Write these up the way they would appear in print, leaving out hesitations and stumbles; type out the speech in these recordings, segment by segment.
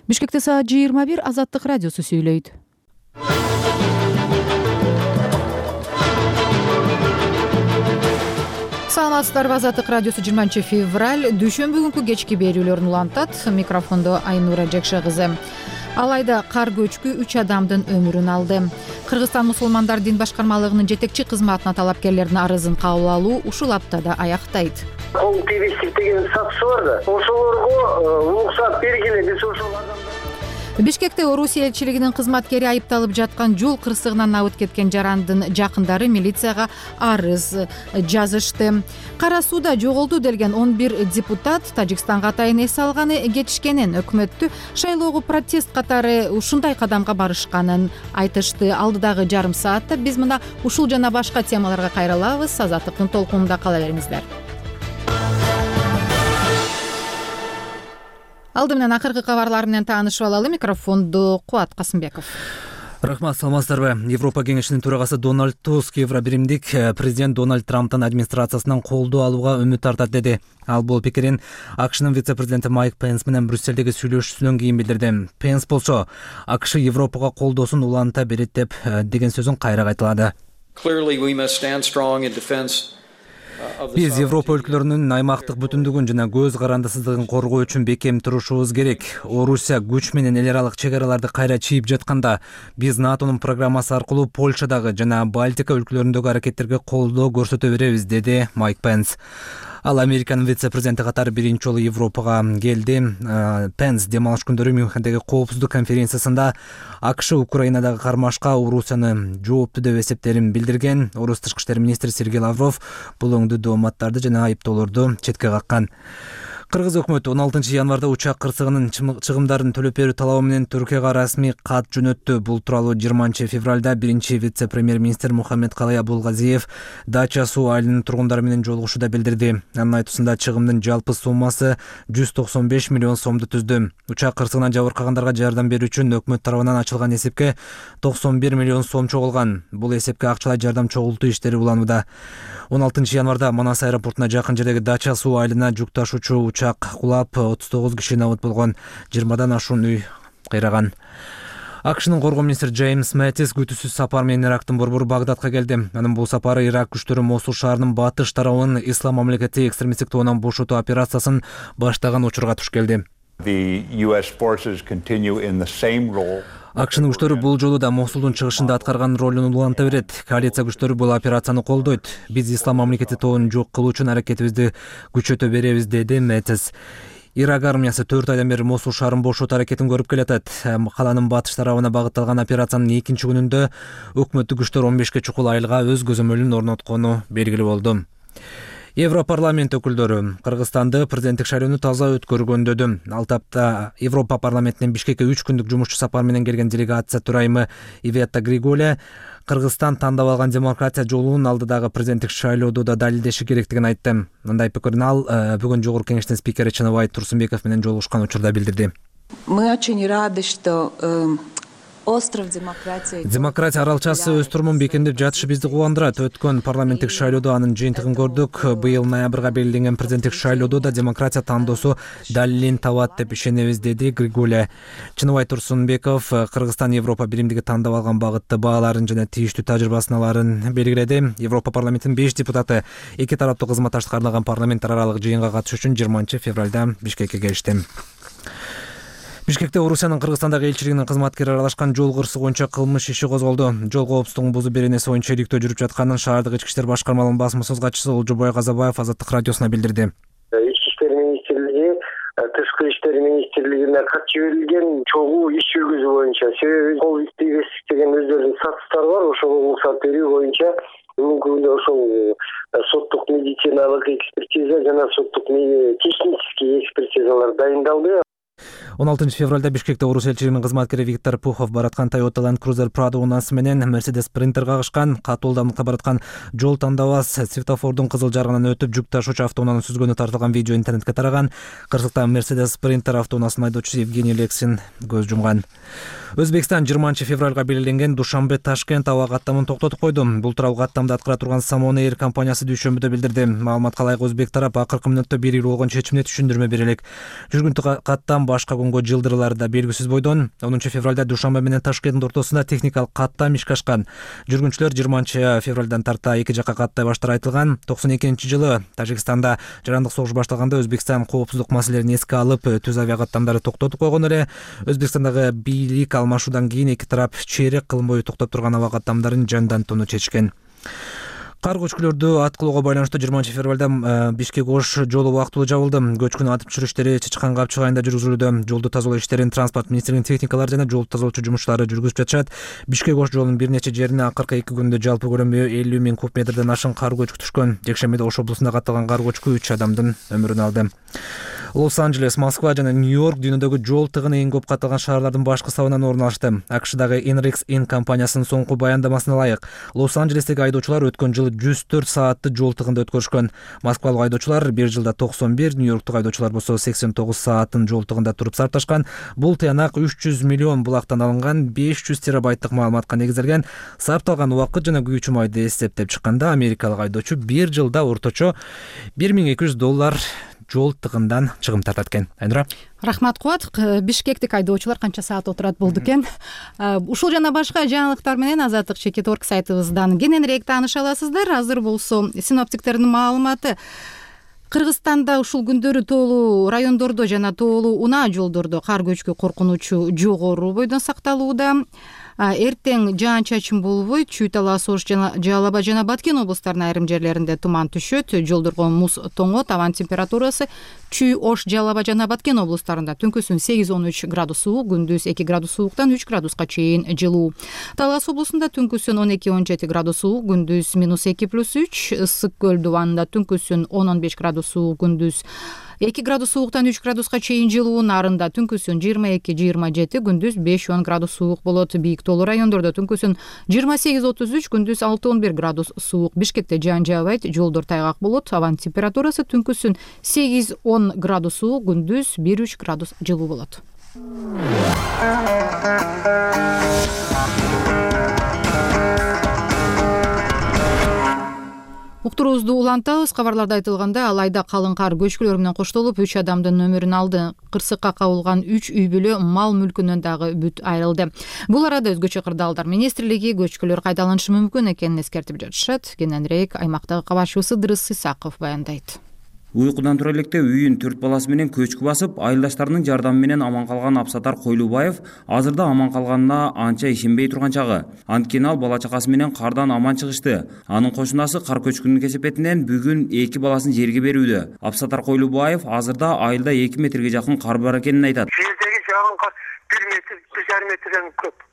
Бишкекте саат 21 Азаттык радиосу сүйлөйт. Саламатсыздарбы, Азаттык радиосу 20 февраль дүйшөмбү күнкү кечки берүүлөрүн улантат. Микрофондо Айнура Жакша кызы. Алайда кар көчкү 3 адамдын өмүрүн алды. Кыргызстан мусулмандар дин башкармалыгынын жетекчи кызматына талапкерлердин арызын кабыл алуу ушул аптада аяктайт. Кол тийбестик деген сатысы бар да. Ошолорго уруксат бергиле биз ошол адамдар. Бишкекте Орусия элчилигинин кызматкери айыпталып жаткан жол кырсыгынан абыт кеткен жарандын жакындары милицияга арыз жазышты. Кара сууда жоголду делген 11 депутат Тажикстанга атайын эс алганы кетишкенин, өкмөттү шайлоого протест катары ушундай кадамга барышканын айтышты. Алдыдагы жарым саатта биз мына ушул жана башка темаларга кайрылабыз. Азаттыктын толкунунда кала бериңиздер. Алды менен акыркы кабарлар менен таанышып алалы. Микрофонду Кубат Касымбеков. Рахмат, саламатсыздарбы. Европа кеңешинин төрагасы Дональд Туск Евробиримдик президент Дональд Трамптын администрациясынан колдоо алууга үмүт тартат деди. Ал бул пикирин АКШнын вице-президенти Майк Пенс менен Брюссельдеги сүйлөшүүсүнөн кийин билдирди. Пенс болсо АКШ Европага колдоосун уланта берет деп деген сөзүн кайра кайталады. Биз Европа өлкөлөрүнүн аймактык бүтүндүгүн жана көз карандысыздыгын коргоо үчүн бекем турушубуз керек. Орусия күч менен эл аралык чек араларды кайра чийип жатканда, биз НАТОнун программасы аркылуу Польшадагы жана Балтика өлкөлөрүндөгү аракеттерге колдоо көрсөтө беребиз, деди Майк Пенс. Ал Американын вице-президенти катары биринчи жолу Европага келди. Пенс дем алыш күндөрү Мюнхендеги коопсуздук конференциясында АКШ Украинадагы кармашка Орусияны жоопту деп эсептерин билдирген. Орус тышкы иштер министри Сергей Лавров бул өңдүү дооматтарды жана айыптоолорду четке каккан. Кыргыз өкмөтү 16 январда учак кырсыгынын чыгымдарын төлөп берүү талабы менен Түркияга расмий кат жөнөттү. Бул тууралуу 20 февралда биринчи вице-премьер-министр Мухаммед Калай Абулгазиев Дача суу айылынын тургундары менен жолугушууда билдирди. Анын айтуусунда чыгымдын жалпы суммасы 195 миллион сомду түздү. Учак кырсыгынан жабыркагандарга жардам берүү үчүн өкмөт тарабынан ачылган эсепке 91 миллион сом чогулган. Бул эсепке акчалай жардам чогултуу иштери уланууда. 16 январда Манас аэропортуна жакын жердеги Дача суу айылына жүк ташуучу учак кулап 39 киши набыт болгон. 20дан ашуун үй кыйраган. АКШнын коргоо министри Джеймс Мэттис күтүүсүз сапар менен Ирактын борбору Багдадка келди. Анын бул сапары Ирак күчтөрү Мосул шаарынын батыш тарабын ислам мамлекети экстремисттик тоонан бошотуу операциясын баштаган учурга туш келди. АКШнын күчтөрү бул жолу да Мосулдун чыгышында аткарган ролун уланта берет. Коалиция күчтөрү бул операцияны колдойт. Биз ислам мамлекети тоонун жок кылуу үчүн аракетибизди күчөтө беребиз, деди Мэттис. Ирак армиясы 4 айдан бери Мосул шаарын бошотуу аракетин көрүп келатат. Каланын батыш тарабына багытталган операциянын 2-чи күнүндө өкмөттүк күчтөр 15 чукул айылга өз көзөмөлүн орноткону белгилүү болду. Европарламент өкүлдөрү Кыргызстанды президенттик шайлоону таза өткөргөндөдү. Ал тапта Европа парламентинен Бишкекке 3 күндүк жумушчу сапар менен келген делегация төрайымы Ивета Григоля Кыргызстан тандап алган демократия жолунун алдыдагы президенттик шайлоодо да далилдеши керектигин айтты. Мындай пикирин ал бүгүн жогорку кеңештин спикери Чыныбай Турсунбеков менен жолугушкан учурда билдирди. Мы очень рады, что остров демократия. Демократия аралчасы өз турумун бекемдеп жатышы бизди кубандырат. Өткөн парламенттик шайлоодо анын жыйынтыгын көрдүк. Быйыл ноябрга белгиленген президенттик шайлоодо да демократия тандоосу далилин табат деп ишенебиз, деди Григоля. Чыныбай Турсунбеков Кыргызстан Европа биримдиги тандап алган багытты бааларын жана тийиштүү тажрыйбасын аларын белгиледи. Европа парламентинин 5 депутаты эки тараптуу кызматташтыкка арналган парламент аралык жыйынга катышуу үчүн 20 февралда Бишкекке келишти. Бишкекте Орусиянын Кыргызстандагы элчилигинин кызматкери аралашкан жол кырсыгы боюнча кылмыш иши козголду. Жол коопсуздугун бузуу беренеси боюнча иликтөө жүрүп жатканын шаардык ички иштер башкармалыгынын басма-сөз катчысы Олжобой Казабаев Азаттык радиосуна билдирди. Ички иштер министрлиги, тышкы иштер министрлигине кат жиберилген чогуу иш жүргүзүү боюнча. Себеби кол тийбестик деген өздөрүнүн сатыстары бар. Ошого уруксат берүү боюнча бүгүнкү күндө ошол соттук медициналык экспертиза жана соттук технический экспертизалар дайындалды. 16 февралда Бишкекте Орус элчилигинин кызматкери Виктор Пухов бараткан Toyota Land Cruiser Prado унаасы менен Mercedes Sprinter кагышкан. Катуу ылдамдыкта бараткан жол тандабас светофордун кызыл жарыгынан өтүп жүк ташуучу автоунааны сүзгөнү тартылган видео интернетке тараган. Кырсыкта Mercedes Sprinter автоунаасынын айдоочусу Евгений Лексин көз жумган. Өзбекстан 20 февралга белгиленген Душанбе-Ташкент аба каттамын токтотуп койду. Бул тууралуу каттамды аткара турган Самон Air компаниясы дүйшөмбүдө билдирди. Маалыматка ылайык өзбек тарап акыркы мүнөттө 1 үй болгон чечимине түшүндүрмө бере элек. Жүргүнтү каттам башка болгонго жылдырылары да белгисиз бойдон. 10 февралда Душанбе менен Ташкенттин ортосунда техникалык каттам ишке ашкан. Жүргүнчүлөр 20 февралдан тарта эки жакка каттай баштары айтылган. 92-жылы Тажикстанда жарандык согуш башталганда Өзбекстан коопсуздук маселелерин эске алып, түз авиа каттамдарды токтотуп койгон эле. Өзбекстандагы бийлик алмашуудан кийин эки тарап чейрек кылым бою токтоп турган аба каттамдарын жандантууну чечкен. Кар көчкүлөрдү аткылоого байланыштуу 20 февралда Бишкек-Ош жолу убактылуу жабылды. Көчкүнү атып түшүрүү иштери Чычкан Капчык айылында жүргүзүлүүдө. Жолду тазалоо иштерин транспорт министрлигинин техникалары жана жол тазалоочу жумушчулары жүргүзүп жатышат. Бишкек-Ош жолунун бир нече жерине акыркы 2 күндө жалпы көлөмү 50 000 куб метрден ашык кар көчкү түшкөн. Жекшембиде Ош облусунда катталган кар көчкү 3 адамдын өмүрүн алды. Лос-Анджелес, Москва жана Нью-Йорк дүйнөдөгү жол тыгыны эң көп катталган шаарлардын башкы сабынан орун алышты. AQShdагы Enrex компаниясынын соңку баяндамасына ылайык, Лос-Анджелестеги айдоочулар өткөн жылы 104 саатты жол тыгында өткөрүшкөн. Москвалык айдоочулар бир жылда 91, Нью-Йорктук айдоочулар болсо 89 саатын жол тыгында туруп сарпташкан. Бул тыянак 300 миллион булактан алынган 500 терабайттык маалыматка негизделген. Сарпталган убакыт жана күйүүчү майды эсептеп чыкканда америкалык айдоочу бир жылда орточо $1200 жол тыгындан чыгым тартат экен. Айнура. Рахмат Кубат. Бишкектик айдоочулар канча саат отурат болду экен? Ушул жана башка жаңылыктар менен Азаттык Чекит.org сайтыбыздан кененирээк тааныша аласыздар. Азыр болсо синоптиктердин маалыматы. Кыргызстанда ушул күндөрү тоолуу райондордо жана тоолуу унаа жолдордо кар көчкү коркунучу жогору бойдон сакталууда. Эртең жаан-чачын болбойт. Чүй, Талас, Ош жана Жалал Абад жана Баткен облустарынын айрым жерлеринде туман түшөт. Жолдорго муз тоңот. Абан температурасы Чүй, Ош, Жалал Абад жана Баткен облустарында түнкүсүн 8-13 градус суук, күндүз 2 градус сууктан 3 градуска чейин жылуу. Талас облусунда түнкүсүн 12-17 градус суук, күндүз -2+3. Ысык көл дубанында түнкүсүн 10-15 градус суук, күндүз 2 градус сууктан 3 градуска чейин жылуу. Нарында түнкүсүн 22-27, күндүз 5-10 градус суук болот. Бийик тоолуу райондордо түнкүсүн 28-33, күндүз 6-11 градус суук. Бишкекте жаан жаабайт, жолдор тайгак болот. Абан температурасы түнкүсүн 8-10 градус суук, күндүз 1-3 градус жылуу болот. Уктуруубузду улантабыз. Кабарларда айтылгандай, алайда калың кар көчкүлөр менен коштолуп 3 адамдын өмүрүн алды. Кырсыкка кабылган 3 үй бүлө мал мүлкүнөн дагы бүт айрылды. Бул арада өзгөчө кырдаалдар министрлиги көчкүлөр кайдаланышы мүмкүн экенин эскертип жатышат. Кененирээк аймактагы кабарчыбыз Ыдырыс Исаков баяндайт. Уйкудан тура электе үйүн 4 баласы менен көчкү басып, айылдаштарынын жардамы менен аман калган Абсатар Койлубаев азырда аман калганына анча ишенбей турган чагы. Анткени ал бала чакасы менен кардан аман чыгышты. Анын кошунасы кар көчкүнүн кесепетинен бүгүн 2 баласын жерге берүүдө. Абсатар Койлубаев азырда айылда 2 метрге жакын кар бар экенин айтат. Жердеги жагын кар 1 метр, 1,5 метрден көп.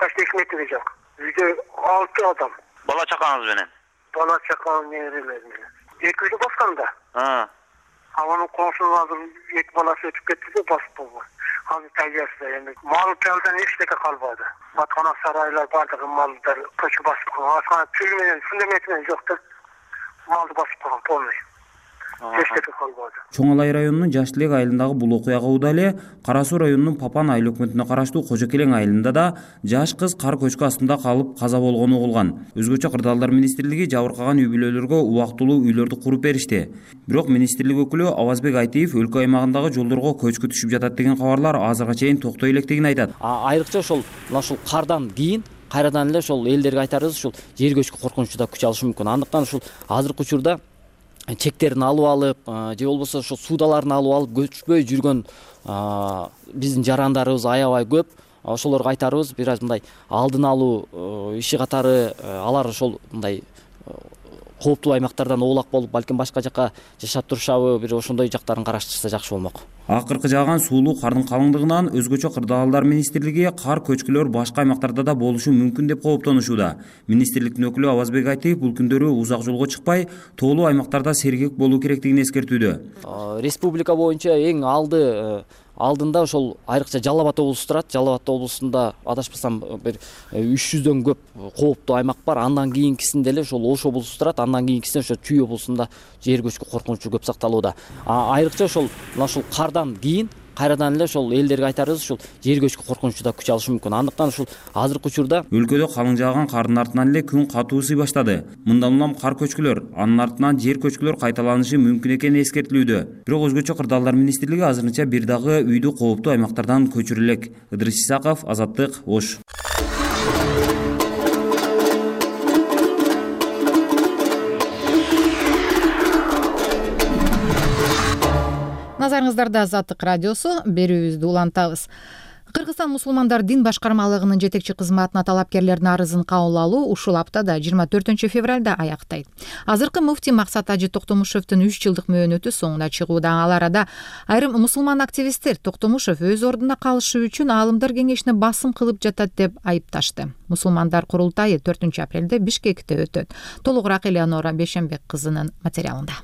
Почти 2 метрге жакын. Үйдө 6 адам. Бала чакаңыз менен? Бала чакам нерелер менен. 2 үйдө басканда. Анын кошунун азыр 2 баласы өтүп кетти да басып болгон. Азыр тажасында эми мал жалдан эчтеке калбады. Аткана сарайлар бардыгы малдар көчүп басып койгон. Асана тил менен фундамент менен жок да малды басып койгон полный. Эчтеке калбады. Чоң Алай районунун Жаш Тилек айылындагы бул окуяга ууда эле Кара Суу районунун Папан айыл өкмөтүнө караштуу Кожо Келең айылында да жаш кыз кар көчкү астында калып каза болгону угулган. Өзгөчө кырдаалдар министрлиги жабыркаган үй бүлөлөргө убактылуу үйлөрдү куруп беришти. Бирок министрлик өкүлү Авазбек Айтиев өлкө аймагындагы жолдорго көчкү түшүп жатат деген кабарлар азырга чейин токтой электигин айтат. Айрыкча ошол кардан кийин кайрадан эле ошол элдерге айтарыбыз ушул жер көчкү коркунучу да күч алышы мүмкүн. Андыктан ушул азыркы учурда чектерин алып алып, же болбосо ошо суудаларын алып алып көчпөй жүргөн биздин жарандарыбыз аябай көп. Ошолорго айтарыбыз бир аз мындай алдын алуу иши катары алар ошол мындай кооптуу аймактардан оолак болуп, балким башка жакка жашап турушабы, бир ошондой жактарын караштырса жакшы болмок. Акыркы жааган суулуу кардын калыңдыгынан өзгөчө кырдаалдар министрлиги кар көчкүлөр башка аймактарда да болушу мүмкүн деп кооптонушууда. Министрликтин өкүлү Авазбек Айтиев бул күндөрү узак жолго чыкпай, тоолуу аймактарда сергек болуу керектигин эскертүүдө. Республика боюнча эң алдында ошол айрыкча Жалал Абад облусу турат. Жалал Абад облусунда адашпасам бир 300дөн көп кооптуу аймак бар. Андан кийинкисинде эле ошол Ош облусу турат. Андан кийинкисинде ошо Чүй облусунда жер көчкү коркунучу көп сакталууда. Айрыкча ошол кардан кийин кайрадан эле ошол элдерге айтарыбыз ушул жер көчкү коркунучу да күч алышы мүмкүн. Андыктан ушул азыркы учурда өлкөдө калың жааган кардын артынан эле күн катуу ысый баштады. Мындан улам кар көчкүлөр, анын артынан жер көчкүлөр кайталанышы мүмкүн экени эскертилүүдө. Бирок өзгөчө Кырдаалдар министрлиги азырынча бир дагы үйдү кооптуу аймактардан көчүрө элек. Ыдырыс Исаков, Азаттык, Ош. Назарыңыздарда Азаттык радиосу, берүүбүздү улантабыз. Кыргызстан мусулмандар дин башкармалыгынын жетекчи кызматына талапкерлердин арызын кабыл алуу ушул аптада 24 февралда аяктайт. Азыркы муфтий Максат Ажы Токтомушевдин 3 жылдык мөөнөтү соңуна чыгууда. Ал арада айрым мусулман активисттер Токтомушев өз ордуна калышы үчүн аалымдар кеңешине басым кылып жатат деп айыпташты. Мусулмандар курултайы 4 апрелде Бишкекте өтөт. Толугураак Элеонора Бешенбек кызынын материалында.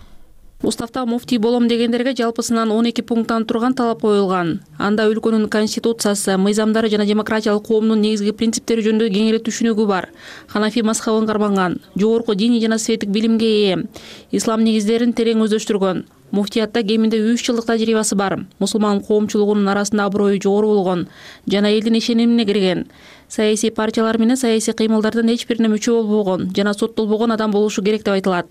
Уставда муфтий болом дегендерге жалпысынан 12 пункттан турган талап коюлган. Анда өлкөнүн конституциясы, мыйзамдары жана демократиялык коомдун негизги принциптери жөнүндө кеңири түшүнүгү бар. Ханафи мазхабын карманган, жогорку диний жана светтик билимге ээ, ислам негиздерин терең өздөштүргөн. Муфтиятта кеминде 3 жылдык тажрыйбасы бар. Мусулман коомчулугунун арасында аброю жогору болгон жана элдин ишенимине кирген. Саясий партиялар менен саясий кыймылдардын эч бирине мүчө болбогон жана соттолбогон адам болушу керек деп айтылат.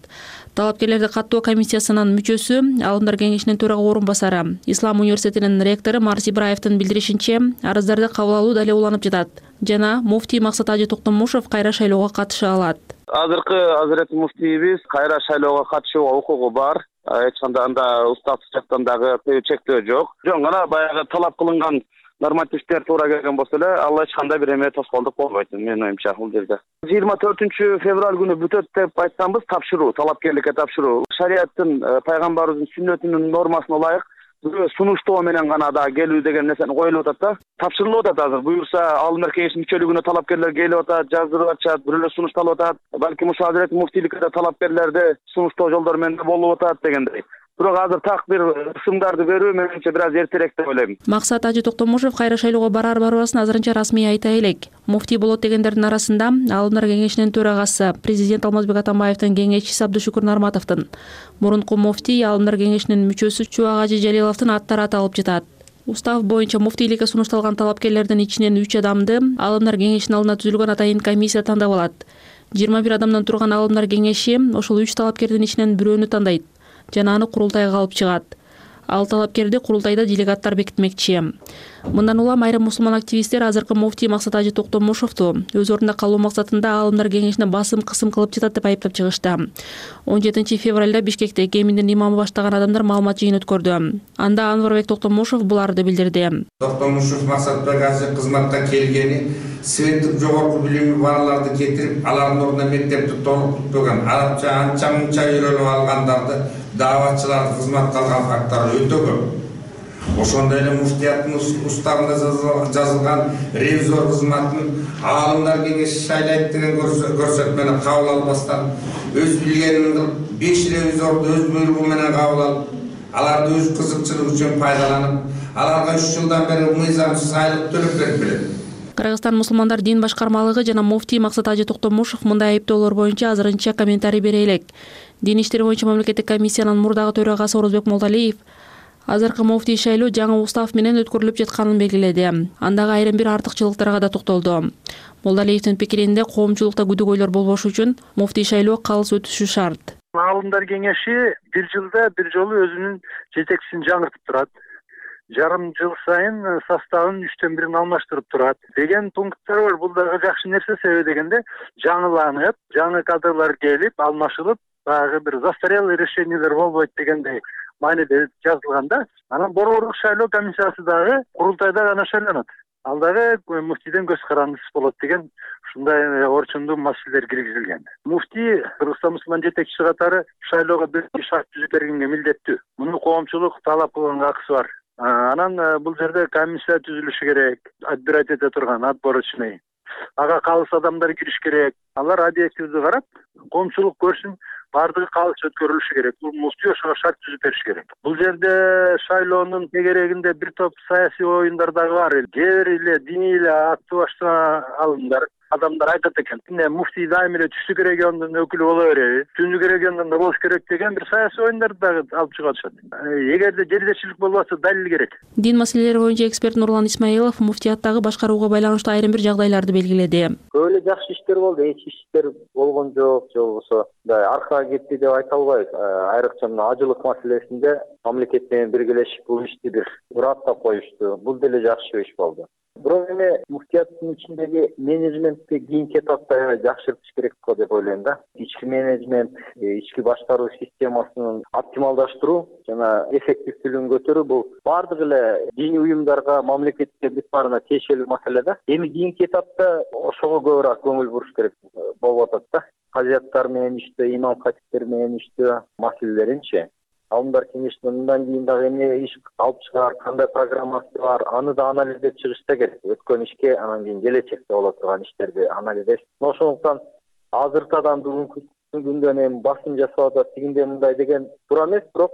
Талапкерлерди каттоо комиссиясынын мүчөсү, Аалымдар кеңешинин төрага орун басары, Ислам университетинин ректору Марс Ибраевдин билдиришинче, арыздарды кабыл алуу дале уланып жатат жана муфтий Максат Ажы Токтомушев кайра шайлоого катыша алат. Азыркы Азырет муфтийибиз кайра шайлоого катышууга укугу бар. Эч кандай анда устав жактан дагы чектөө жок. Жөн гана баягы талап кылынган нормативдер туура келген болсо эле ал эч кандай бир эме тоскоолдук болбойт менин оюмча бул жерде. 24 февраль күнү бүтөт деп айтсамбыз, тапшыруу, талапкерликке тапшыруу. Шариаттын, пайгамбарыбыздын сүннөтүнүн нормасына ылайык сунуштоо менен гана да келүү деген нерсени коюлуп атат да. Тапшырылып атат азыр. Буюрса Аалымдар кеңешинин мүчөлүгүнө талапкерлер келип атат, жаздырып атышат, бирөөлөр сунушталып атат. Балким ушул Азырет муфтийликке да талапкерлерди сунуштоо жолдору менен болуп атат дегендей. Бирок азыр так бир ысымдарды берүү менимче бир аз эртерээк деп ойлойм. Максат Ажы Токтомушев кайра шайлоого барбасын азырынча расмий айта элек. Муфтий болот дегендердин арасында Аалымдар кеңешинин төрагасы, президент Алмазбек Атамбаевдин кеңешчиси Абдышүкүр Нарматовдун, мурунку муфтий Аалымдар кеңешинин мүчөсү Чубак Ажы Жалиловдун аттары аталып жатат. Устав боюнча муфтийликке сунушталган талапкерлердин ичинен 3 адамды Аалымдар кеңешинин алдына түзүлгөн атайын комиссия тандап алат. 21 адамдан турган Аалымдар кеңеши ошол 3 талапкердин ичинен бирөөнү тандайт жана аны курултайга алып чыгат. Ал талапкерди курултайда делегаттар бекитмекчи. Мындан улам айрым мусулман активисттер азыркы муфтий Максат Ажы Токтомушевду өз ордунда калуу максатында Аалымдар кеңешине басым кысым кылып жатат деп айыптап чыгышты. 17 февралда Бишкекте кеминдин имамы баштаган адамдар маалымат жыйын өткөрдү. Анда Анварбек Токтомушев буларды билдирди. Токтомушев Максатбек Ажы кызматка келгени светтик жогорку билими балаларды кетирип, алардын ордуна мектепти толук бүтпөгөн, арабча анча мынча үйрөнүп алгандарды, дааватчыларды кызматка алган факттар өтө көп. Ошондой эле муфтияттын уставында жазылган ревизор кызматын Аалымдар кеңеши шайлайт деген көрсөтмөнү кабыл албастан өз билгенин кылып 5 ревизорду өз буйругу менен кабыл алып, аларды өз кызыкчылыгы үчүн пайдаланып, аларга 3 жылдан бери мыйзамсыз айлык төлөп берип келет. Кыргызстан мусулмандар дин башкармалыгы жана муфтий Максат Ажы Токтомушев мындай айыптоолор боюнча азырынча комментарий бере элек. Дин иштери боюнча мамлекеттик комиссиянын мурдагы төрагасы Орозбек Молдалиев азыркы муфтий шайлоо жаңы устав менен өткөрүлүп жатканын белгиледи. Андагы айрым бир артыкчылыктарга да токтолду. Молдалиевдин пикиринде коомчулукта күдүгөйлөр болбош үчүн муфтий шайлоо калыс өтүшү шарт. Аалымдар кеңеши бир жылда бир жолу өзүнүн жетекчисин жаңыртып турат. Жарым жыл сайын составын 3төн 1 алмаштырып турат деген пункттар бар. Бул дагы жакшы нерсе, себеби дегенде жаңыланып, жаңы кадрлар келип, алмашылып, баягы бир застарелый решениялар болбойт дегендей мааниде жазылганда, анан борборлук шайлоо комиссиясы дагы курултайда гана шайланат. Ал дагы муфтийден көз карандысыз болот деген ушундай орчундуу маселелер киргизилген. Муфтий Кыргызстан мусулман жетекчиси катары шайлоого бир шарт түзүп бергенге милдеттүү. Муну коомчулук талап кылганга акысы бар. Анан бул жерде комиссия түзүлүшү керек, отбирать эте турган, отборочный. Ага калыс адамдар кириш керек. Алар объективдүү карап, коомчулук көрсүн, бардыгы калыс өткөрүлүшү керек. Бул муфтий ошого шарт түзүп бериш керек. Бул жерде шайлоонун тегерегинде бир топ саясий оюндар дагы бар. Кээ бир эле диний эле аттуу баштаган алымдар адамдар айтат экен, эмне муфтий дайым эле түштүк региондун өкүлү боло береби, түндүк региондон да болуш керек деген бир саясий оюндарды дагы алып чыгышат. Эгерде жердешчилик болбосо далил керек. Дин маселелери боюнча эксперт Нурлан Исмаилов муфтияттагы башкарууга байланыштуу айрым бир жагдайларды белгиледи. Көп эле жакшы иштер болду, эч иштер болгон жок, же болбосо аркага кетти деп айта албайбыз. Айрыкча мына ажылык маселесинде мамлекет менен биргелешип бул ишти бир аттап коюшту. Бул деле жакшы иш болду. Бирок эми муфтияттын ичиндеги менеджментти кийинки этапта жакшыртыш керек го деп ойлойм да. Ички менеджмент, ички башкаруу системасын оптималдаштыруу жана эффективдүүлүгүн көтөрүү бул бардык эле диний уюмдарга, мамлекетке бүт баарына тиешелүү маселе да. Эми кийинки этапта ошого көбүрөөк көңүл буруш керек болуп атат да. Казияттар менен иштөө, имам катиптер менен иштөө маселелеринчи. Алымдар кеңешинен мындан кийин дагы эмне иш алып чыгаар, кандай программасы бар, аны да анализдеп чыгышта керек. Өткөн ишке, анан кийин келечекте боло турган иштерди анализдеп. Ошондуктан азыртадан бүгүнкү күндөн эми басым жасап атат, тигиндей мындай деген туура эмес, бирок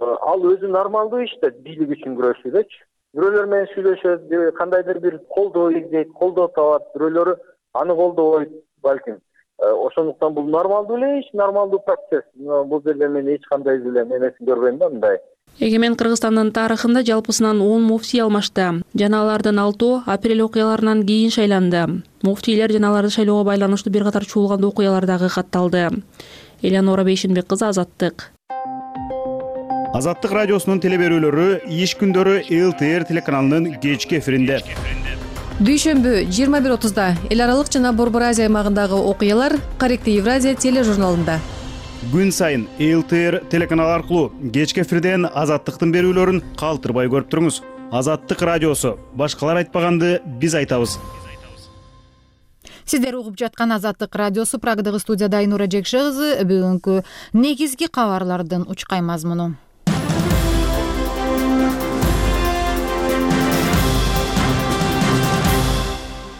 ал өзү нормалдуу иште, бийлик үчүн күрөшүүдөчү. Бирөөлөр менен сүйлөшөт, кандайдыр бир колдоо издейт, колдоо табат, бирөөлөрү аны колдобойт балким. Ошондуктан бул нормалдуу эле иш, нормалдуу процесс. Бул жерде мен эч кандай эле эмесин көрбөйм да мындай. Эгемен Кыргызстандын тарыхында жалпысынан 10 муфтий алмашты. Жана алардын 6 апрель окуяларынан кийин шайланды. Муфтийлер жана аларды шайлоого байланыштуу бир катар чуулган окуялар дагы катталды. Элеонора Бейшенбек кызы, Азаттык. Азаттык радиосунун телеберүүлөрү иш күндөрү ЛТР телеканалынын кечки эфиринде. Дүйшөмбү 21:30 эл аралык жана Борбор Азия аймагындагы окуялар Корректив Евразия тележурналында. Күн сайын ЛТР телеканалы аркылуу кечки эфирден Азаттыктын берүүлөрүн калтырбай көрүп туруңуз. Азаттык радиосу. Башкалар айтпаганды биз айтабыз. Сиздер угуп жаткан Азаттык радиосу. Прагдагы студияда Айнура Жекше кызы. Бүгүнкү негизги кабарлардын учкай мазмуну.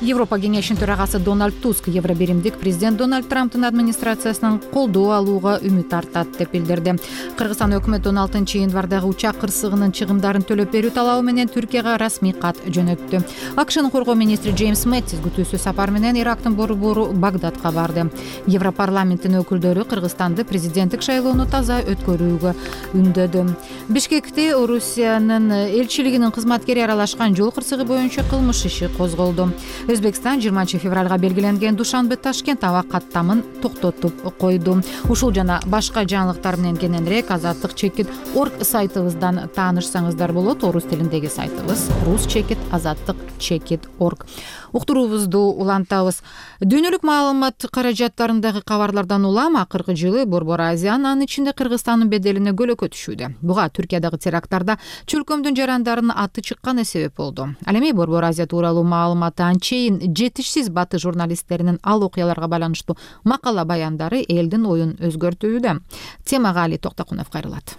Европа кеңешинин төрагасы Дональд Туск евробиримдик президент Дональд Трамптын администрациясынан колдоо алууга үмүт артат деп билдирди. Кыргызстан өкмөтү 16-январдагы учак кырсыгынын чыгымдарын төлөп берүү талабы менен Түркияга расмий кат жөнөттү. АКШнын коргоо министри Джеймс Мэттис күтүүсүз сапар менен Ирактын борбору Багдадка барды. Европарламенттин өкүлдөрү Кыргызстанды президенттик шайлоону таза өткөрүүгө үндөдү. Бишкекте Орусиянын элчилигинин кызматкери аралашкан жол кырсыгы боюнча кылмыш иши козголду. Өзбекстан 20 февралга белгиленген Душанбе-Ташкент аба каттамын токтотуп койду. Ушул жана башка жаңылыктар менен кененирээк azattik.org сайтыбыздан таанышсаңыздар болот. Орус тилиндеги сайтыбыз rus.azattik.org. Уктуруубузду улантабыз. Дүйнөлүк маалымат каражаттарындагы кабарлардан улам акыркы жылы Борбор Азиянын, анын ичинде Кыргызстандын беделине көлөкө түшүүдө. Буга Түркиядагы теракттарда чөлкөмдүн жарандарынын аты чыкканы себеп болду. Ал эми Борбор Азия тууралуу маалыматы анчейин жетишсиз баты журналисттеринин ал окуяларга байланыштуу макала баяндары элдин оюн өзгөртүүдө. Темага Али Токтокунов кайрылат.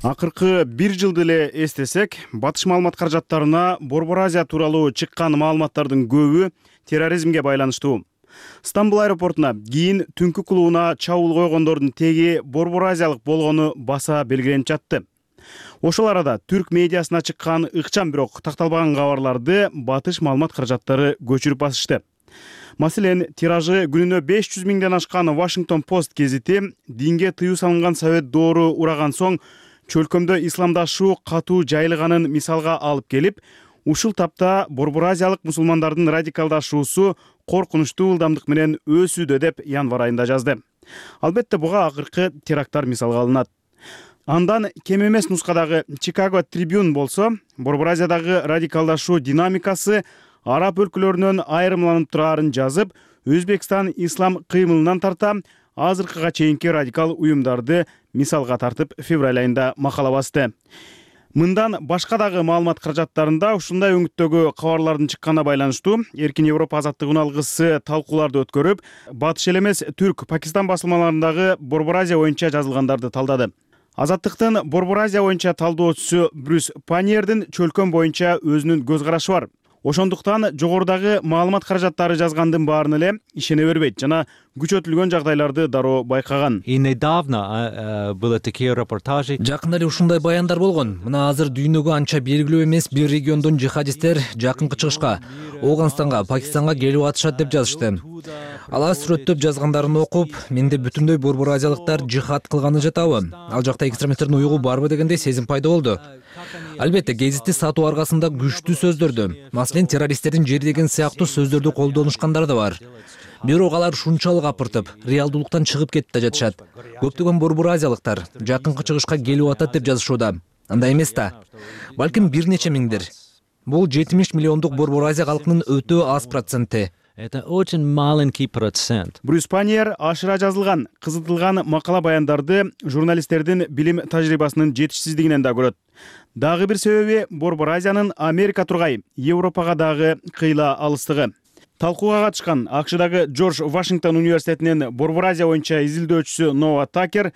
Акыркы бир жылды эле эстесек, батыш маалымат каражаттарына Борбор Азия тууралуу чыккан маалыматтардын көбү терроризмге байланыштуу. Стамбул аэропортуна кийин түнкү клубуна чабуул койгондордун теги Борбор Азиялык болгону баса белгиленип жатты. Ошол арада түрк медиасына чыккан ыкчам бирок такталбаган кабарларды батыш маалымат каражаттары көчүрүп басышты. Маселен, тиражы күнүнө 500 миңден ашкан Washington Post гезити динге тыюу салынган совет доору ураган соң чөлкөмдө исламдашуу катуу жайылганын мисалга алып келип, ушул тапта Борбор Азиялык мусулмандардын радикалдашуусу коркунучтуу ылдамдык менен өсүүдө деп январ айында жазды. Албетте буга акыркы теракттар мисалга алынат. Андан кем эмес нускадагы Chicago Tribune болсо, Борбор Азиядагы радикалдашуу динамикасы араб өлкөлөрүнөн айрымланып турарын жазып, Өзбекстан ислам кыймылынан тарта азыркыга чейинки радикал уюмдарды мисалга тартып февраль айында макала басты. Мындан башка дагы маалымат каражаттарында ушундай өңүттөгү кабарлардын чыкканына байланыштуу Эркин Европа азаттык алгысы талкууларды өткөрүп, батыш эле эмес түрк Пакистан басылмаларындагы Борбор Азия боюнча жазылгандарды талдады. Азаттыктын Борбор Азия боюнча талдоочусу Брюс Паньердин чөлкөм боюнча өзүнүн көз карашы бар. Ошондуктан жогорудагы маалымат каражаттары жазгандын баарына эле ишене бербейт жана күчөтүлгөн жагдайларды дароо байкаган. Жакында эле ушундай баяндар болгон. Мына азыр дүйнөгө анча белгилүү эмес бир региондон жихадисттер жакынкы чыгышка, Ооганстанга, Пакистанга келип атышат деп жазышты. Алар сүрөттөп жазгандарын окуп, менде бүтүндөй борбор азиялыктар жихад кылганы жатабы? Ал жакта экстремисттердин уюгу барбы дегендей сезим пайда болду. Албетте, гезитти сатуу аркасында күчтүү сөздөрдү, маселен террористтердин жери деген сыяктуу сөздөрдү колдонушкандар да бар. Бирок алар шунчалык апыртып, реалдуулуктан чыгып кетип да жатышат. Көптөгөн борбор азиялыктар жакынкы чыгышка келип атат деп жазышууда. Андай эмес да. Балким бир нече миңдир. Бул 70 миллиондук борбор Азия калкынын өтө аз проценти. Это очень маленький процент. Брюс Паньер ашыра жазылган, кызытылган макала баяндарды журналисттердин билим тажрыйбасынын жетишсиздигинен да көрөт. Дагы бир себеби борбор Азиянын Америка тургай, Европага дагы кыйла алыстыгы. Талкууга катышкан АКШдагы Джордж Вашингтон университетинин борбор Азия боюнча изилдөөчүсү Ноа Такер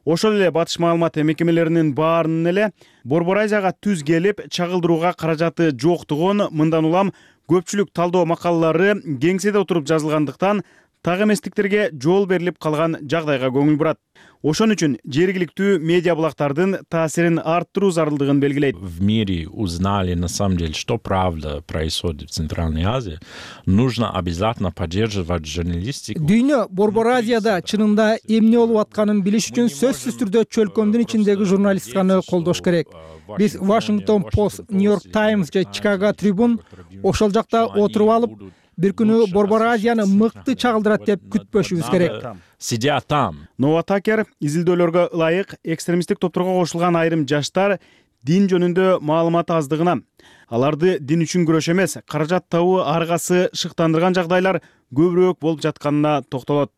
ошол эле батыш маалымат мекемелеринин баарынын эле борбор Азияга түз келип чагылдырууга каражаты жоктугун мындан улам көпчүлүк талдоо макалалары кеңседе отуруп жазылгандыктан так эместиктерге жол берилип калган жагдайга көңүл бурат. Ошон үчүн жергиликтүү медиа булактардын таасирин арттыруу зарылдыгын белгилейт. В мире узнали на самом деле, что правда происходит в Центральной Азии, нужно обязательно поддерживать журналистику. Дүйнө борбор Азияда чынында эмне болуп атканын билиш үчүн сөзсүз түрдө чөлкөмдүн ичиндеги журналистиканы колдош керек. Биз Washington Post, New York Times же Chicago Tribune ошол жакта отуруп алып, бир күнү борбор Азияны мыкты чагылдырат деп күтпөшүбүз керек. Сидят там. Ноа Такер изилдөөлөргө ылайык экстремисттик топторго кошулган айрым жаштар дин жөнүндө маалымат аздыгына, аларды дин үчүн күрөш эмес, каражат табуу аргасы шыктандырган жагдайлар көбүрөөк болуп жатканына токтолот.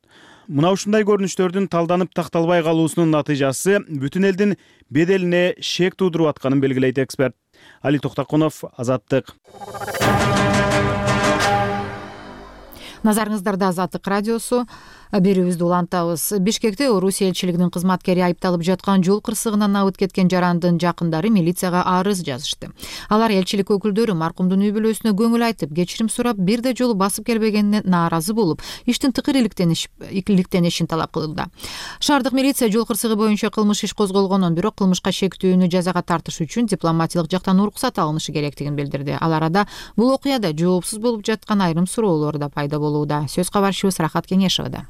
Мына ушундай көрүнүштөрдүн талданып такталбай калуусунун натыйжасы бүтүн элдин беделине шек туудуруп атканын белгилейт эксперт. Али Токтакунов, Азаттык. Назарыңыздарда Азаттык радиосу. Берүүбүздү улантабыз. Бишкекте Орусия элчилигинин кызматкери айыпталып жаткан жол кырсыгынан абыт кеткен жарандын жакындары милицияга арыз жазышты. Алар элчилик өкүлдөрү маркумдун үй бүлөсүнө көңүл айтып, кечирим сурап, бир да жолу басып келбегенине нааразы болуп, иштин тыкыр иликтенишин талап кылды. Шаардык милиция жол кырсыгы боюнча кылмыш иш козголгонун, бирок кылмышка шектүүнү жазага тартыш үчүн дипломатиялык жактан уруксат алынышы керектигин билдирди. Ал арада бул окуяда жоопсуз болуп жаткан айрым суроолор да пайда болууда. Сөз кабарчыбыз Рахат Кеңешевада.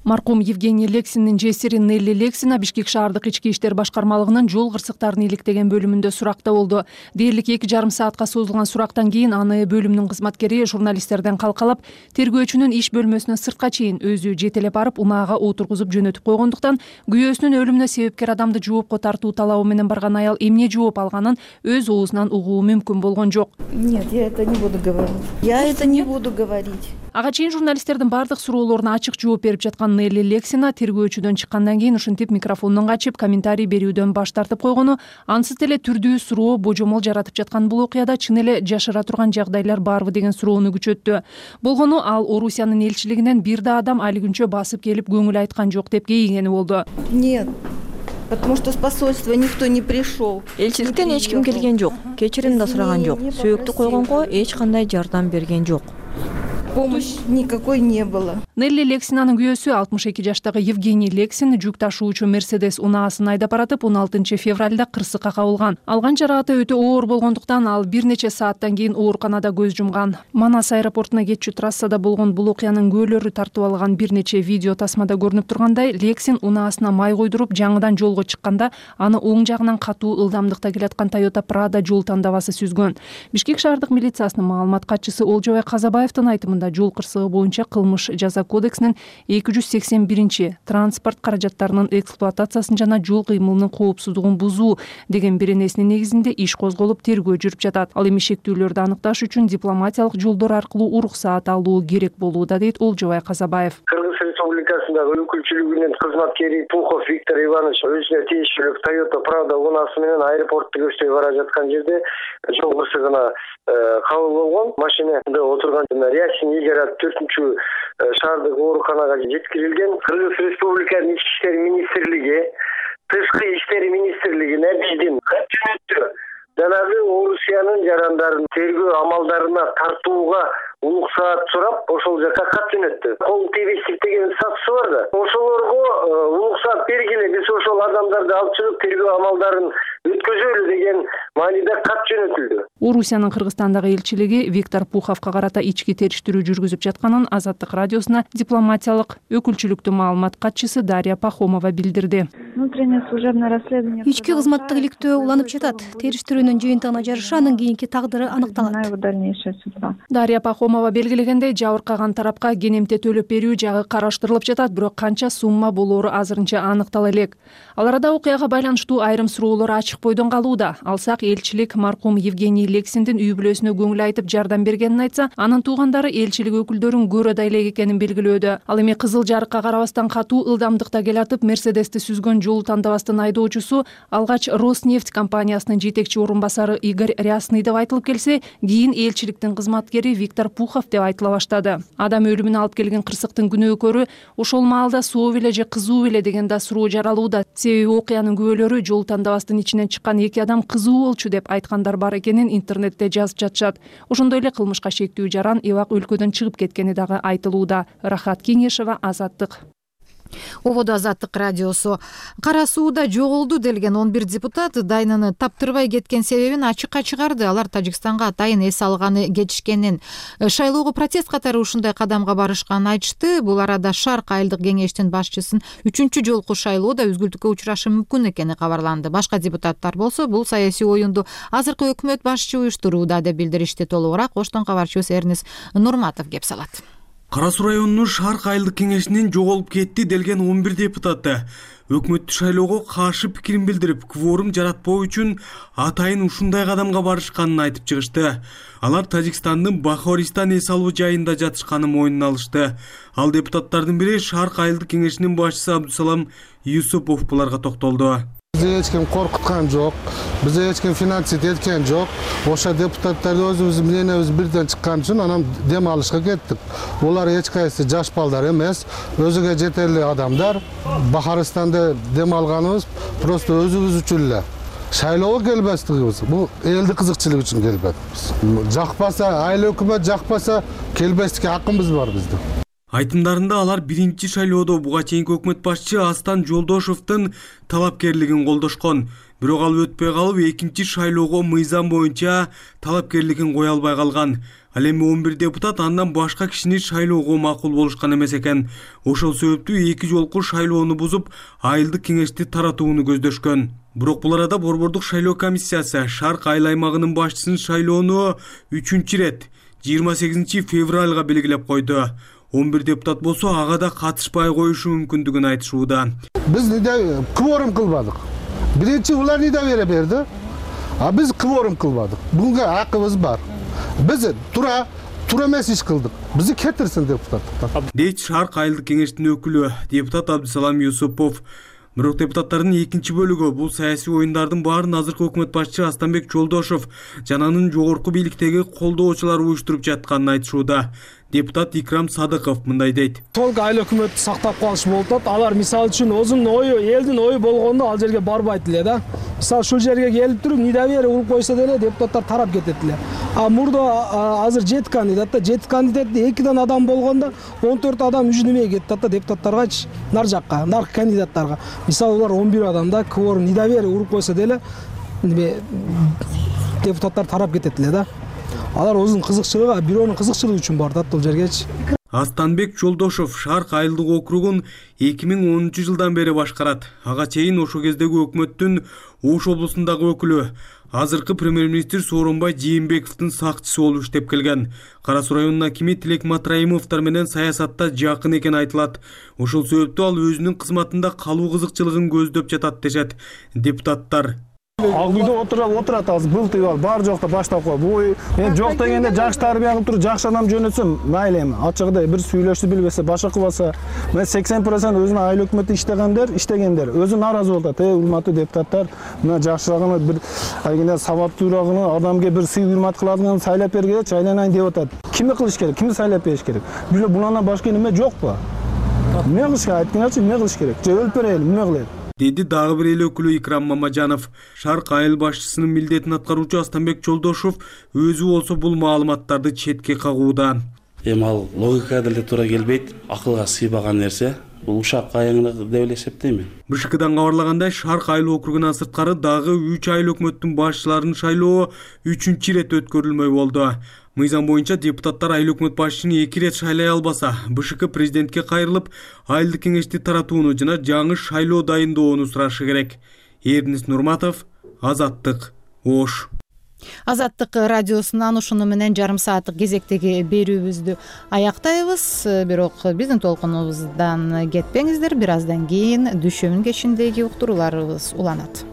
Маркум Евгений Лексиндин жесири Нелли Лексина Бишкек шаардык ички иштер башкармалыгынын жол кырсыктарын иликтеген бөлүмүндө суракта болду. Дээрлик 2,5 саатка созулган сурактан кийин аны бөлүмдүн кызматкери журналисттерден калкалап, тергөөчүнүн иш бөлмөсүнөн сыртка чейин өзү жетелеп барып, унаага отургузуп жөнөтүп койгондуктан күйөөсүнүн өлүмүнө себепкер адамды жоопко тартуу талабы менен барган аял эмне жооп алганын өз оозунан угуу мүмкүн болгон жок. Нет, я это не буду говорить. Я это не буду говорить. Ага чейин журналисттердин бардык суроолоруна ачык жооп берип жаткан Нелли Лексина тергөөчүдөн чыккандан кийин ушинтип микрофондон качып, комментарий берүүдөн баш тартып койгону, ансыз эле түрдүү суроо божомол жаратып жаткан бул окуяда чын эле жашыра турган жагдайлар барбы деген суроону күчөттү. Болгону ал Орусиянын элчилигинен бир да адам али күнчө басып келип көңүл айткан жок деп кейигени болду. Нет. Потому что с посольства никто не пришел. Элчиликтен эч ким келген жок. Кечирим да сураган жок. Сөөктү койгонго эч кандай жардам берген жок. Помощи никакой не было. Нелли Лексинанын күйөөсү 62 жаштагы Евгений Лексин жүк ташуучу Мерседес унаасын айдап баратып 16 февралда кырсыкка кабылган. Алган жаракаты өтө оор болгондуктан ал бир нече сааттан кийин ооруканада көз жумган. Манас аэропортуна кетчү трассада болгон бул окуянын күөлөрү тартып алган бир нече видео тасмада көрүнүп тургандай, Лексин унаасына май койдуруп жаңыдан жолго чыкканда аны оң жагынан катуу ылдамдыкта келаткан Toyota Prado жол тандабасы сүзгөн. Бишкек шаардык милициясынын маалымат катчысы Олжобай Казабаевдин айтымында жол кырсыгы боюнча кылмыш жаза кодексинин 281 транспорт каражаттарынын эксплуатациясын жана жол кыймылынын коопсуздугун бузуу деген беренесинин негизинде иш козголуп тергөө жүрүп жатат. Ал эми шектүүлөрдү аныкташ үчүн дипломатиялык жолдор аркылуу уруксаат алуу керек болууда, дейт Олжобай Казабаев. Кыргыз Республикасындагы өкүлчүлүгүнүн кызматкери Пухов Виктор Иванович өзүнө тиешелүү Toyota Prado унаасы менен аэропортто көчтөй бара жаткан жерде жол кырсыгына кабыл болгон. Машинада отурган Рясин Игорь 4-чү шаардык ооруканага жеткирилген. Кыргыз Республикасынын Ички иштер министрлиги, Тышкы иштер министрлигине биздин кат жөнөттү. Жанагы Орусиянын жарандарын тергөө амалдарына тартууга улук саат сурап ошол жака кат жөнөттү. Кол тийбестик деген статусу бар да. Ошолорго улук саат бергиле, биз ошол адамдарды алып чыгып тергөө амалдарын өткөзөлү деген мааниде кат жөнөтүлдү. Орусиянын Кыргызстандагы элчилиги Виктор Пуховго карата ички териштирүү жүргүзүп жатканын Азаттык радиосуна дипломатиялык өкүлчүлүктүн маалымат катчысы Дарья Пахомова билдирди. Ички кызматтык иликтөө уланып жатат. Териштирүүнүн жыйынтыгына жараша анын кийинки тагдыры аныкталат. Дарья Пахомова белгилегендей, жабыркаган тарапка кенемте төлөп берүү жагы караштырылып жатат, бирок канча сумма болоору азырынча аныктала элек. Ал арада окуяга байланыштуу айрым суроолор ачык бойдон калууда. Алсак, элчилик маркум Евгений Лексиндин үй бүлөсүнө көңүл айтып жардам бергенин айтса, анын туугандары элчилик өкүлдөрүн көрөдөй элек экенин белгилөөдө. Ал эми кызыл жарыкка карабастан катуу ылдамдыкта келатып, Мерседести сүзгөн жолу тандабастын айдоочусу алгач Роснефть компаниясынын жетекчи орун басары Игорь Рясный деп айтылып келсе, кийин элчиликтин кызматкери Виктор Пухов деп айтыла баштады. Адам өлүмүнө алып келген кырсыктын күнөөкөрү ошол маалда соо беле же кызуу беле деген да суроо жаралууда. Себеби окуянын күбөлөрү жол тандабастын ичинен чыккан эки адам кызуу болчу деп айткандар бар экенин интернетте жазып жатышат. Ошондой эле кылмышка шектүү жаран эбак өлкөдөн чыгып кеткени дагы айтылууда. Рахат Кеңешева, Азаттык. Ободо Азаттык радиосу. Кара сууда жоголду делген 11 депутат дайнаны таптырбай кеткен себебин ачыкка чыгарды. Алар Тажикстанга атайын эс алганы кетишкенин, шайлоого протест катары ушундай кадамга барышканын айтышты. Бул арада Шарк айылдык кеңештин башчысын 3-чү жолку шайлоодо үзгүлтүккө учурашы мүмкүн экени кабарланды. Башка депутаттар болсо бул саясий оюнду азыркы өкмөт башчы уюштурууда деп билдиришти. Толугураак Оштон кабарчыбыз Эрнис Нурматов кеп салат. Кара Суу районунун Шарк айылдык кеңешинин жоголуп кетти делген 11 депутаты өкмөттү шайлоого каршы пикирин билдирип, кворум жаратпоо үчүн атайын ушундай кадамга барышканын айтып чыгышты. Алар Тажикстандын Бахористан эс алуу жайында жатышканын мойнуна алышты. Ал депутаттардын бири Шарк айылдык кеңешинин башчысы Абдусалам Юсупов буларга токтолду. Бизди эч ким коркуткан жок, бизди эч ким финансить эткен жок. Ошо депутаттарды өзүбүздүн мененибиз бирден чыккан үчүн анан дем алышка кеттик. Булар эч кайсы жаш балдар эмес, өзүгө жетерлик адамдар. Бахаристанда дем алганыбыз просто өзүбүз үчүн эле. Шайлоого келбестигибиз, бул элдин кызыкчылыгы үчүн келбедик. Жакпаса, айыл өкмөт жакпаса, келбестикке акыбыз бар биздин. Айтымдарында алар биринчи шайлоодо буга чейинки өкмөт башчы Астан Жолдошовдун талапкерлигин колдошкон. Бирок ал өтпөй калып, экинчи шайлоого мыйзам боюнча талапкерлигин кое албай калган. Ал эми 11 депутат андан башка кишини шайлоого макул болушкан эмес экен. Ошол себептүү эки жолку шайлоону бузуп, айылдык кеңешти таратууну көздөшкөн. Бирок бул арада Борбордук шайлоо комиссиясы Шарк айыл аймагынын башчысын шайлоону 3-чү рет 28 февралга белгилеп койду. 11 депутат болсо ага да катышпай коюшу мүмкүндүгүн айтышууда. Биз кворум кылбадык. Биринчи булар бере берди, а биз кворум кылбадык. Буга акыбыз бар. Биз тура эмес иш кылдык. Бизди кетирсин депутаттыктан. Дейт Шарк айылдык кеңештин өкүлү депутат Абдусалам Юсупов. Бирок депутаттардын экинчи бөлүгү бул саясий оюндардын баарын азыркы өкмөт башчы Астанбек Жолдошов жана анын жогорку бийликтеги колдоочулар уюштуруп жатканын айтышууда. Депутат Икрам Садыков мындай дейт. Толук айыл өкмөттү сактап калыш болуп атат. Алар мисалы үчүн өзүнүн ою, элдин ою болгондо ал жерге барбайт эле да. Мисалы ушул жерге келип туруп недоверие уруп койсо деле депутаттар тарап кетет эле. А мурда азыр 7 кандидат да, 7 кандидатты 2 адам болгондо 14 адам үжүнүмөй кетти да депутаттаргачы, нар жакка, нар кандидаттарга. Мисалы улар 11 адамда кворум недоверие уруп койсо деле депутаттар тарап кетет эле да. Алар өзүнүн кызыкчылыгы, бирөөнүн кызыкчылыгы үчүн барды бул жергечи. Астанбек Жолдошов Шарк айылдык округун 2010-жылдан бери башкарат. Ага чейин ошол кездеги өкмөттүн Ош облусундагы өкүлү, азыркы премьер-министр Сооронбай Жээнбековдун сакчысы болуп иштеп келген. Кара Суу районунун акими Тилек Матраимовдор менен саясатта жакын экен айтылат. Ошол себептүү ал өзүнүн кызматында калуу кызыкчылыгын көздөп жатат дешет депутаттар. Ак үйдө отурат азыр былтый бар, бар жокто баштап кой. Бул мен жок дегенде жакшы тарбия кылып туруп, жакшы адам жөнөтсөм, мейли эми. Ачыгыдай бир сүйлөшүп билбесе, башка кылбаса, мен 80% өзүнүн айыл өкмөтү иштегендер, өзү нааразы болуп атат. Урматтуу депутаттар, мына жакшырагыны бир айгине сабаттуурагыны адамга бир сый урмат кылатынын сайлап бергенчи айланайын деп атат. Кимди кылыш керек? Кимди сайлап бериш керек? Булардан башка неме жокпу? Эмне кылыш керек? Айтканчы эмне кылыш керек? Же өлүп берели, эмне кылалы? деди дагы бир эл өкүлү Икрам Мамажанов. Шарк айыл башчысынын милдетин аткаруучу Астанбек Жолдошов өзү болсо бул маалыматтарды четке кагууда. Эми ал логикага деле туура келбейт, акылга сыйбаган нерсе. Бул ушак кайыңдык деп эле эсептейм. БШКдан кабарлагандай, Шарк айыл округунан сырткары дагы 3 айыл өкмөттүн башчыларынын шайлоо 3-чү ирет өткөрүлмөй болду. Мыйзам боюнча депутаттар айыл өкмөт башчысын 2 ирет шайлай албаса, БШК президентке кайрылып, айылдык кеңешти таратууну жана жаңы шайлоо дайындоону сурашы керек. Эрдинис Нурматов, Азаттык, Ош. Азаттык радиосунан ушуну менен жарым сааттык кезектеги берүүбүздү аяктайбыз. Бирок биздин толкунубуздан кетпеңиздер. Бир аздан кийин дүшөмүн кечиндеги уктурууларыбыз уланат.